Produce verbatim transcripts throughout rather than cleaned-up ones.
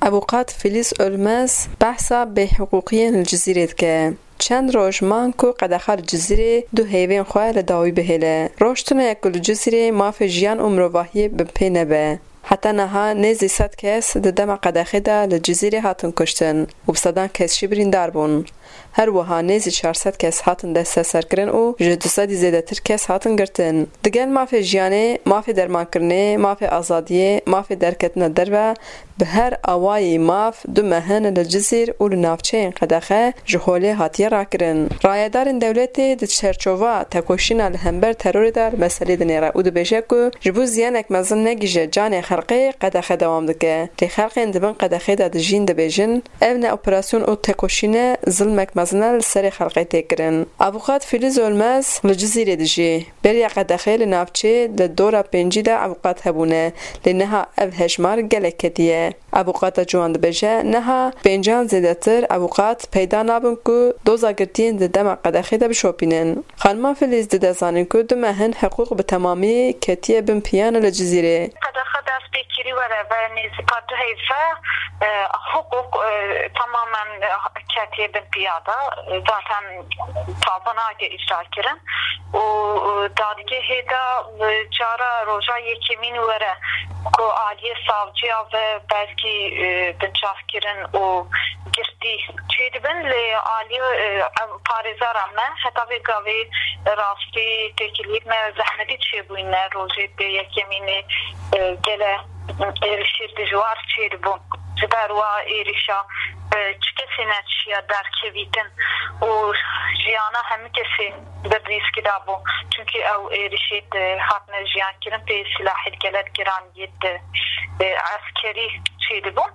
Avûqat Filiz Ölmez behsa bêhiqûqiyên li Cizîrê dike. Çend roj man ku qedexe li Cizîrê du heyvên xwe li dawî bihêle. Roj tune ye ku li Cizîrê mafê jiyan û mirovahiyê bi pê nebe. Heta niha nêzî sed kes di dema qedexê de li Cizîrê hatin kuştin û bi sedan kes jî birîndar bûn. Her wiha nêzî çar sed kes hatin desteserkirin û ji du sedî zêdetir kes hatin girtin. Digel mafê jiyanê, mafê dermankirinê, mafê azadiyê, mafê derketina derve, bi her awayî maf du meh in li Cizîr û li navçeyên qedexe ji holê hatiye rakirin. Rayedarên dewletê di çerçova tekoşîna li hember terorê de li meselê dinêre û dibêje ku ji bo ziyanek mezin negihîje canê xelkê qedexe dewam dike. Lê xelkên di bin qedexê de dijîn dibêjin, ev ne operasyon û tekoşîn e, zilmek mezin e li serê xelkê tê kirin. Avûqat Filiz Ölmez li Cizîrê dijî. Beriya qedexê li navçê di dora pêncî de avûqat hebûne, lê niha ev hejmar gelek ketiye. Avûqata ciwan dibêje, niha pêncan zêdetir avûqat peyda nabin ku doza girtiyên di dema qedexê de bişopînin. Xanima Filiz dide zanîn ku du meh in hiqûq bi temamî ketiye bin piyan li Cizîrê. Qedexe dest pê kirî were ve nêzîka du heyve, e, hiqûq, e, tamamen, e, ketiye bin piya de. Zaten taze nake îcra kirin. Û, û dadgehê de, e, cara roja yekemîn were ku aliyê savciya ve belkî, e, binçavkirin û girtî çêdibin, lê aliyê, e, ev parêzera me heta vê gavê rastî têkiliyê me zehmetî çêbûyîne rojê pê yekemînê, e, gele êrişê dijwar çêdibû. Ji ber wa êrişa, e, çi kesê neçiya derkevîtin û jiyana hemî kesê di rîskî de bû. Çimkî ew êrişê di hatine jiyan kirin pê silahê gelek giran yê di, e, eskerî çêdibûn.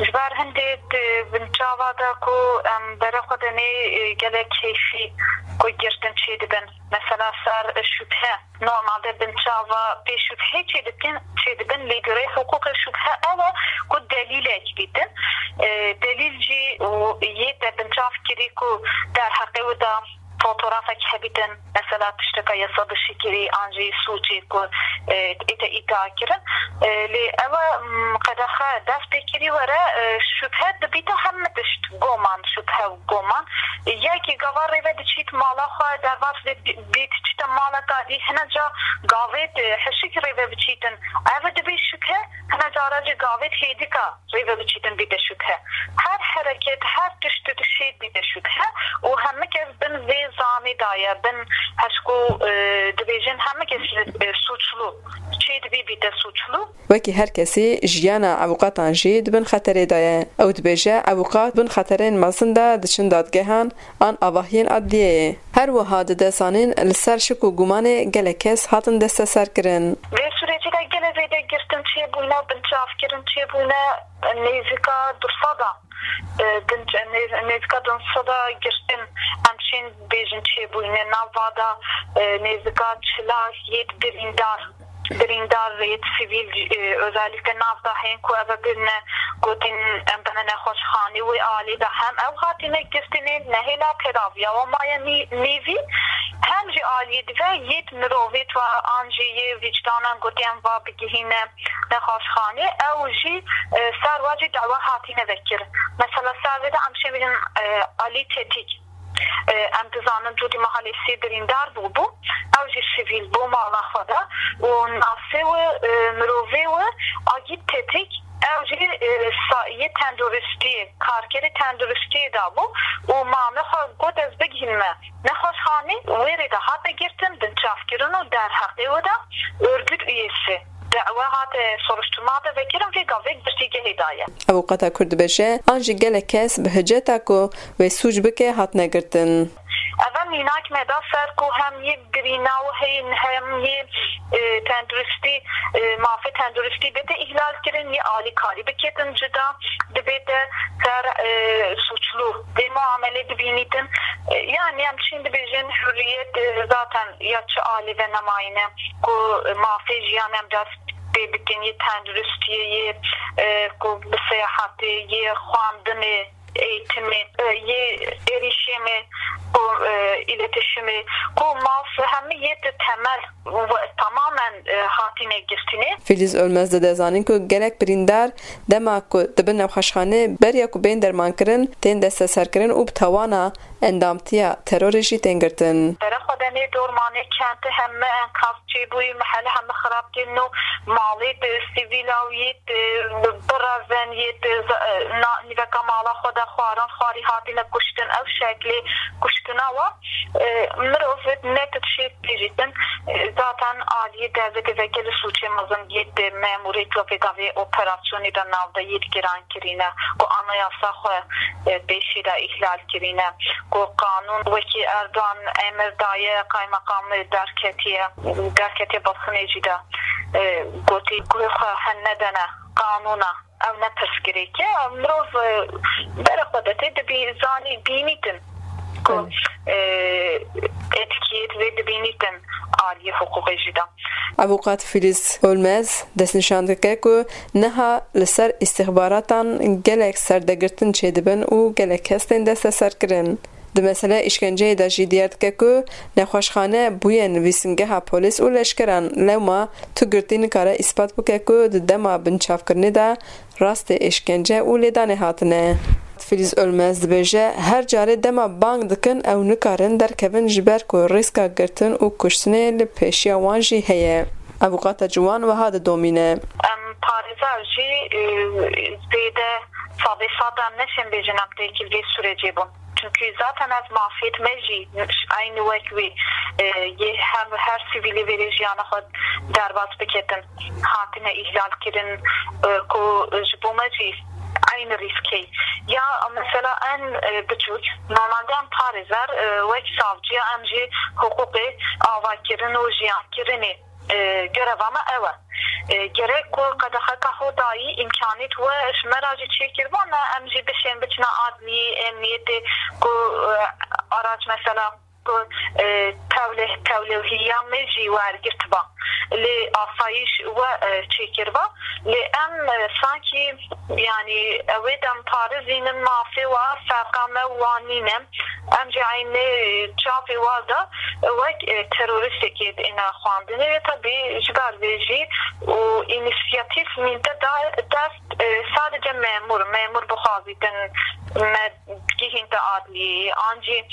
Ji ber hindê di binçava de ku em berê xwe de nê, e, gelek keyfî ku girtin çêdibin. Mesela ser şubhe. Normalde binçava pê şubhê çêdikin, çêdibin, lê girê hiqûqê şubhe ew e ku delîlek bîtin. E, delîl jî û yê te binçav kirî ku derheqê wî de fotografek hebîtin, mesela tişteka yasa dişî kirî an jî sûcê ku, e, ê te îdia kirin. E, lê ew e, m, qedexe dest pê kirî were, e, şubhe dibîte hemî tişt goman, şubhe û goman. Yekî gava rêve diçît mala xwe, derbas vê bi-, bê diçîte maleka dî, hine ca gavêt, e, hişik rêve biçîtin. Ev dibê şubhe, hine cara jî gavêt hêdika rêve biçîtin bîte şubhe. Her hereket, her tişt dişêt bîte şubhe û hemî kes bin vê zanê de ye, bin hişk û, e, dibêjin hemî kes, e, suçlu, çêdibî bîte suçlu. Wekî her kesî jiyana avûqatan jî di bin xeterê de ye. Ew dibêje, avûqat bin xeterên mezin de diçin dadgehan an avahiyên adliyeyê. Her wiha dide zanîn li ser şik û gumanê gelek kes hatin desteserkirin. Vê sürecî de gelek zêde girtin çêbûne, binçavkirin çêbûne, nêzîka du sed a, e, binç-, nêz-, nêzîka du sed a girtin em çên bêjin çêbûne. Nav va de, e, nêzîka çila yêt birîndar, birîndar yêt sivîl, e, özellikle nav de heyên ku ev bine gotin em bine nexweşxanê, wê alî de hem ew hatine girtinê, nehêla tedaviya wan maye nî-, nîvî, hem jî aliyê dive yêt mirovêt ve an jî yê vicdanan gotin em va bigihîne nexweşxanê, ew jî, e, ser wa jî dawa hatine vekirin. Mesela ser vê de em şê bêjin, e, Alî Tetik. E, em dizanin cûdî mehalê sê birîndar bûbû. Ew jî sivîl bû mala xwe de û nasê wî, e, mirovê wî Agît Tetik, ew jî, e, sa-, yê tenduristiyê, karkerê tenduristiyê de bû û mame xwe got, ez bigihînme nexweşxanê, wê rê de hate girtin, binçavkirin û derheqê wî de örgüt üyesi. Dawa hate soruşturma de vekirin, vê gavê girtîgehê daye. Avûqata Kurd dibêje, an jî gelek kes bi hiceta ku wê sûc bike hatine girtin. Ev e mînak me da ser ku hem yê birîna û heyîn hem yê, e, tenduristî, e, mafê tenduristî bête îhlal kirin, yê alîkarî biketin cida, dibête ser, e, suçlu. Vê muamelê dibînîtin. E, yani em çîn dibêjin hurriyet, e, zaten ya çi alî ve nemayîne ku mafê jiyan em dest pê bikin, yê tenduristiyê, yê, e, ku bi seyahatê, yê xwendinê, eğitimê, e, yê erişimê, ku, e, iletişimê, ku maf hemî yê di temel ve tamamen, e, hatine girtine. Fîlîz Ölmez dide zanîn ku gelek birîndar dema ku dibin nexweşxanê beriya ku bên dermankirin tên desteserkirin û bi tawana endamtiya terorê jî tên girtin. Bere xwe de nê dormanê kenti hemî enkaz çêbûyî, mehele hemî xirab kirin û malê di sivîla wî di birevin yê di za-, na-, nîveka mala xwe de xwarin xwarî hatine kuştin. Ew şeklê kuştina wa, e, mirov ne tu dişê bêjîtin, e, zaten aliyê devletê vekirî sûcê mezin yê di memûrê ku pêdavê operasyonê de navdeyî digiran kirîne, ku anayasa xwe, e, pêşî de îhlal kirîne, ku qanûn wekî Erdogan emir daye, kaymeqamê derketiye, derketiye basnê jî de, e, gotî ku xwe hen nedene qanûna, ew ne pirsgirêk e. Mirov, e, bere xwe de tê dibî-, zanî, bînîtin ku, Belê. e, etkiyêt vê dibînîtin aliyê hiqûqê jî de. Avûkat Fîlîz Ölmez destnîşan dike ku niha li ser îstixbaratan gelek serdegirtin çêdibin û gelek kes tên desteserkirin. Di meseleya îşkenceyê de jî diyar dike ku nexweşxane bûye nivîsingeha polîs û leşkeran, lewma tu girtî nikare îspat bike ku di dema binçavkirinê de rastê êşkence û lêdanê hatine. Fîlîz Ölmez dibêje, her carê dema bang dikin ew nikarin derkevin ji ber ku rîska girtin û kuştinê li pêşiya wan jî heye. Avûkata ciwan wiha didomîne. Em parêzer jî, e, zêde sedê sed em neşên bêjin em têkil vê sûrecê bûn. Çunkî zaten ev mafêt me jî eynî wek wî, e, yê hem her sivîlê vêrê jiyana xwe derbas biketin, hatine îhlal kirin, e, ku ji bo me jî eynî rîskê. Ya mesela en, e, biçûk, normalde em parêzer, e, wek savciya em jî hiqûqê avakirin û jiyankirinê, e, göreva me ew e. E, gerek ku qedexeka xwe dayî îmkanît we ji me re jî çêkiribû, me em jî bişên biçine adliyê, emniyetê ku, e, araç mesela ku, e, tewleh-, tewlewhiya me jî wergirtiba. Lê asayîş we, e, çêkiriba. Lê em, e, sankî, yanî, ew ê dem parizînin mafê wa, ferqa me wan nîne. Em jî eynê çavê wa de wek, e, terorîstekê dîne xwendinê. Tabî ji ber vê jî û înîsiyatîf mînte da dest, e, sadece memûr, memûr bixwazîtin me gihînte adliyê, an jî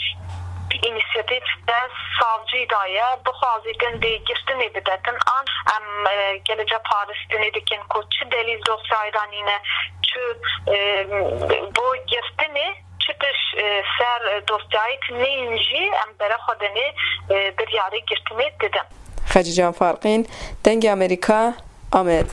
înîsiyatîf dest savcî daye, bixwazîtin dê girtinê bidetin, an em, e, gelece paristinê dikin ku çi delîl dosyayê de nîne, çi, e, bo girtinê, çi tiş, e, ser dosyayê nîn jî em bere xwe dinê, e, biryarê girtinê didin. Xecîcan Farqîn, Dengê Amerîka, Amed.